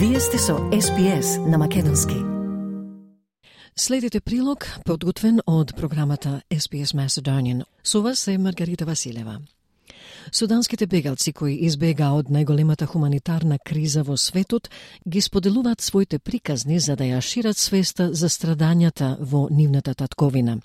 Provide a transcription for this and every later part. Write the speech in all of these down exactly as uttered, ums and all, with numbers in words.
Вие сте со Ес Би Ес на македонски. Следите прилог, подготвен од програмата Ес Би Ес Macedonian. Со вас е Маргарита Василева. Суданските бегалци кои избега од најголемата хуманитарна криза во светот ги споделуваат своите приказни за да ја шират свеста за страдањата во нивната татковина.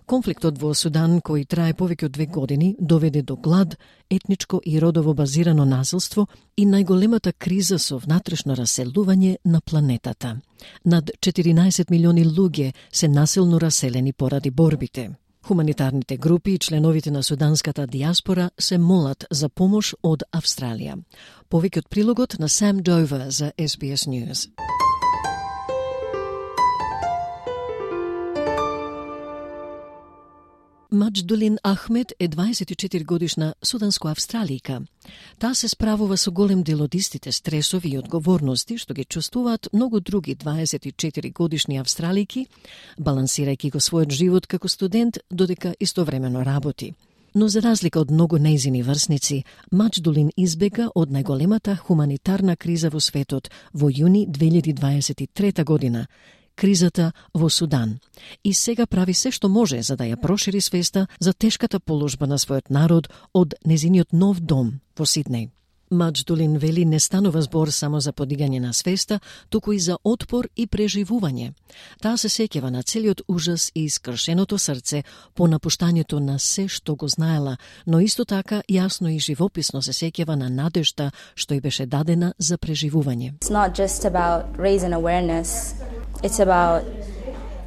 Конфликтот во Судан, кој трае повеќе од две години, доведе до глад, етничко и родово базирано насилство и најголемата криза со внатрешно раселување на планетата. Над четиринаесет милиони луѓе се насилно раселени поради борбите. Хуманитарните групи и членовите на суданската диаспора се молат за помош од Австралија. Повеќе од прилогот на Сам Довер за Ес Би Ес News. Маџдулин Ахмед е дваесет и четири годишна суданско-австралијка. Таа се справува со голем дел од истите стресови и одговорности што ги чувствуваат многу други дваесет и четири годишни австралијки, балансирајќи го својот живот како студент додека истовремено работи. Но за разлика од многу нејзини врсници, Маџдулин избега од најголемата хуманитарна криза во светот во јуни две илјади дваесет и трета година, кризата во Судан. И сега прави се што може за да ја прошири свеста за тешката положба на својот народ од незиниот нов дом во Сиднеј. Маџдулин вели не станува збор само за подигање на свеста, туку и за отпор и преживување. Таа се сеќава на целиот ужас и искршеното срце по напуштањето на се што го знаела, но исто така јасно и живописно се сеќава на надежта што й беше дадена за преживување. It's not just about raising awareness. It's about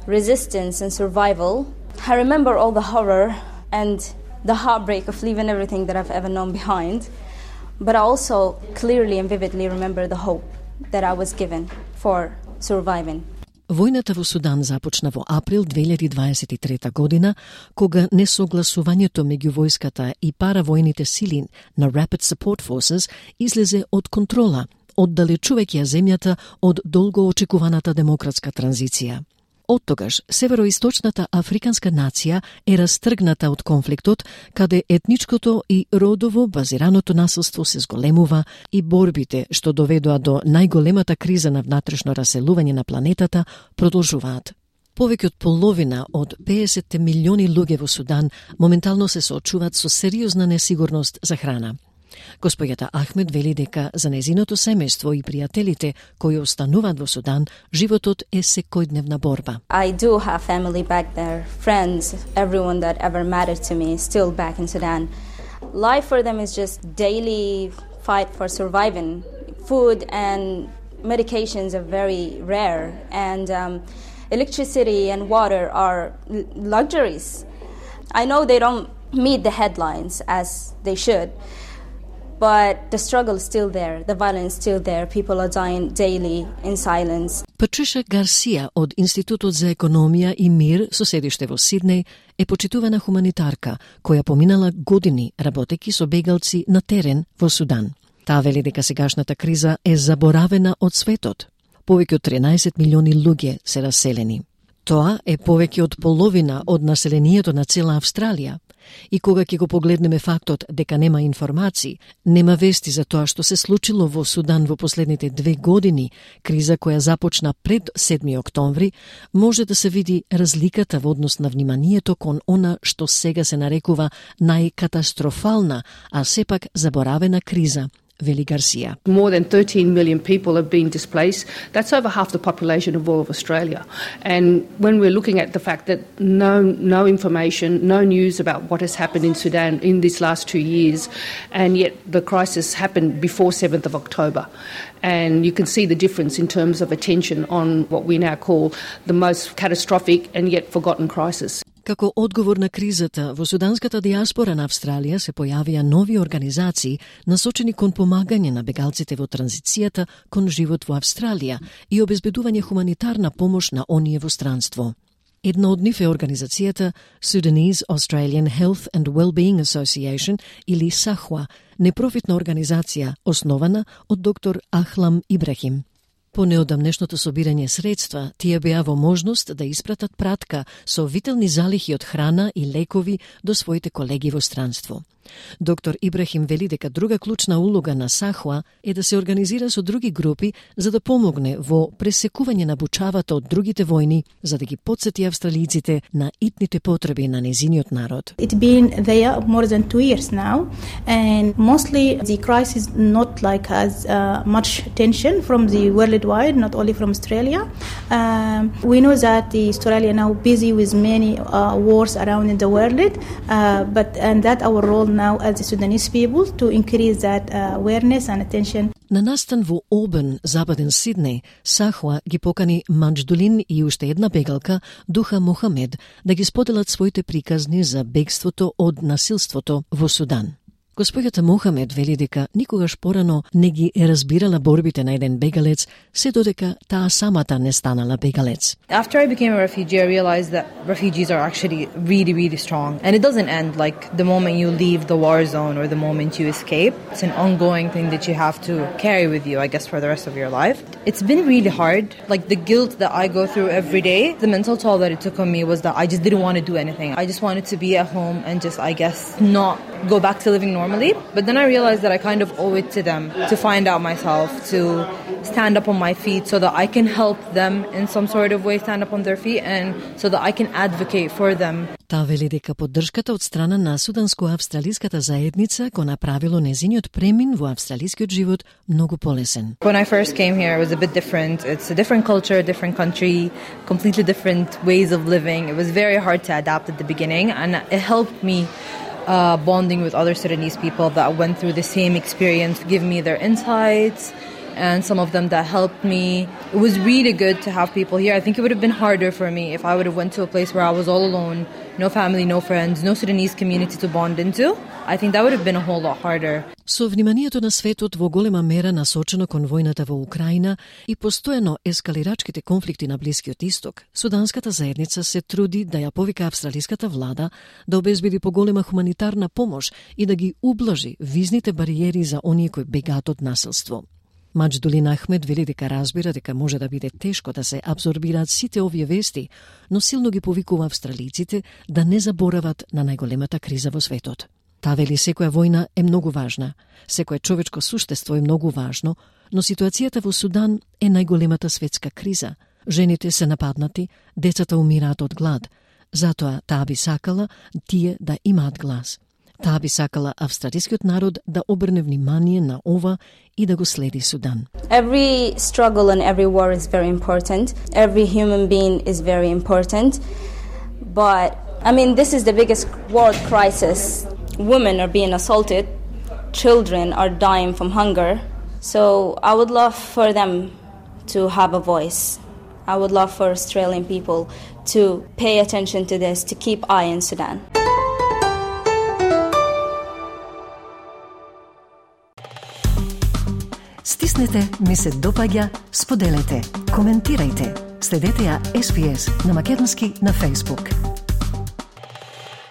resistance and survival. I remember all the horror and the heartbreak of leaving everything that I've ever known behind. But I also clearly and vividly remember the hope that I was given for surviving. Војната во Судан започна во април две илјади дваесет и трета година, кога несогласувањето меѓу војската и паравојните сили на Rapid Support Forces излезе од контрола, оддалечувајќи ја земјата од долго очекуваната демократска транзиција. Оттогаш, североисточната африканска нација е растргната од конфликтот, каде етничкото и родово базираното насилство се зголемува и борбите што доведоа до најголемата криза на внатрешно раселување на планетата продолжуваат. Повеќе од половина од педесет милиони луѓе во Судан моментално се соочуваат со сериозна несигурност за храна. Господјата Ахмед вели дека за незиното семејство и пријателите кои остануваат во Судан, животот е секојдневна борба. I do have family back there, friends, everyone that ever mattered to me is still back in Sudan. Life for them is just daily fight for surviving. Food and medications are very rare, and um, electricity and water are l- luxuries. I know they don't meet the headlines as they should, but the struggle is still there, the violence is still there, people are dying daily in silence. Патриша Гарсија од Институтот за економија и мир со седиште во Сиднеј е почитувана хуманитарка која поминала години работејќи со бегалци на терен во Судан. Таа вели дека сегашната криза е заборавена од светот. Повеќе од тринаесет милиони луѓе се раселени. Тоа е повеќе од половина од населението на цела Австралија. И кога ќе го погледнеме фактот дека нема информации, нема вести за тоа што се случило во Судан во последните две години, криза која започна пред седми октомври, може да се види разликата во однос на вниманието кон она што сега се нарекува најкатастрофална, а сепак заборавена криза, вели Гарсија. More than thirteen million people have been displaced. That's over half the population of all of Australia. And when we're looking at the fact that no no information, no news about what has happened in Sudan in these last two years, and yet the crisis happened before seventh of October. And you can see the difference in terms of attention on what we now call the most catastrophic and yet forgotten crisis. Како одговор на кризата, во суданската диаспора на Австралија се појавија нови организации насочени кон помагање на бегалците во транзицијата кон живот во Австралија и обезбедување хуманитарна помош на оние во странство. Една од нив е организацијата Sudanese Australian Health and Wellbeing Association или САХВА, непрофитна организација основана од доктор Ахлам Ибрахим. По неодамнешното собирање средства, тие беа во можност да испратат пратка со вителни залихи од храна и лекови до своите колеги во странство. Доктор Ибрахим вели дека друга клучна улога на САХУА е да се организира со други групи за да помогне во пресекување на бучавата од другите војни, за да ги потсети австралиците на итните потреби на незиниот народ. It's been there more than two years now, and mostly the crisis not like has uh, much tension from the worldwide, not only from Australia. Um, we know that the Australia now busy with many uh, wars around in the world, uh, but and that our role now as the Sudanese people to increase that uh, awareness and attention. На настан во Обен, западен Сиднеј, САХУА ги покани Манџдулин и уште една бегалка, Духа Мохамед, да ги споделат своите приказни за бегството од насилството во Судан. Госпоѓата Мохамед вели дека никогаш порано не ги е разбирала борбите на еден бегалец, се додека таа самата не станала бегалец. After I became a refugee, I realized that refugees are actually really, really strong. And it doesn't end like the moment you leave the war zone or the moment you escape. It's an ongoing thing that you have to carry with you, I guess, for the rest of your life. It's been really hard. Like the guilt that I go through every day, the mental toll that it took on me was that I just didn't want to do anything. I just wanted to be at home and just, I guess, not go back to living normally. But then I realized that I kind of owe it to them to find out myself, to stand up on my feet so that I can help them in some sort of way stand up on their feet and so that I can advocate for them. Таа вели дека поддршката од страна на суданско-австралиската заедница го направило незиниот премин во австралискиот живот многу полесен. When I first came here, it was a bit different. It's a different culture, a different country, completely different ways of living. It was very hard to adapt at the beginning, and it helped me Uh, bonding with other Sudanese people that went through the same experience, give me their insights, and some of them that helped me. It was really good to have people here. I think it would have been harder for me if I would have went to a place where I was all alone, no family, no friends, no Sudanese community to bond into. I think that would have been a whole lot harder. Со вниманието на светот во голема мера насочено кон војната во Украина и постојано ескалирачките конфликти на Блискиот Исток, суданската заедница се труди да ја повика австралиската влада да обезбеди поголема хуманитарна помош и да ги ублажи визните бариери за оние кои бегаат од насилство. Манџдулин Ахмед вели дека разбира дека може да биде тешко да се абсорбираат сите овие вести, но силно ги повикува австралиците да не заборават на најголемата криза во светот. Таа вели секоја војна е многу важна, секое човечко суштество е многу важно, но ситуацијата во Судан е најголемата светска криза. Жените се нападнати, децата умираат од глад. Затоа таа би сакала тие да имаат глас. Таа би сакала австралискиот народ да обрне внимание на ова и да го следи Судан. Every struggle and every war is very important. Every human being is very important. But, I mean, this is the biggest world crisis. Women are being assaulted. Children are dying from hunger. So I would love for them to have a voice. I would love for Australian people to pay attention to this, to keep eye in Sudan. Стиснете, ми се допаѓа, споделете, коментирајте. Следете ја Ес Би Ес на македонски на Facebook.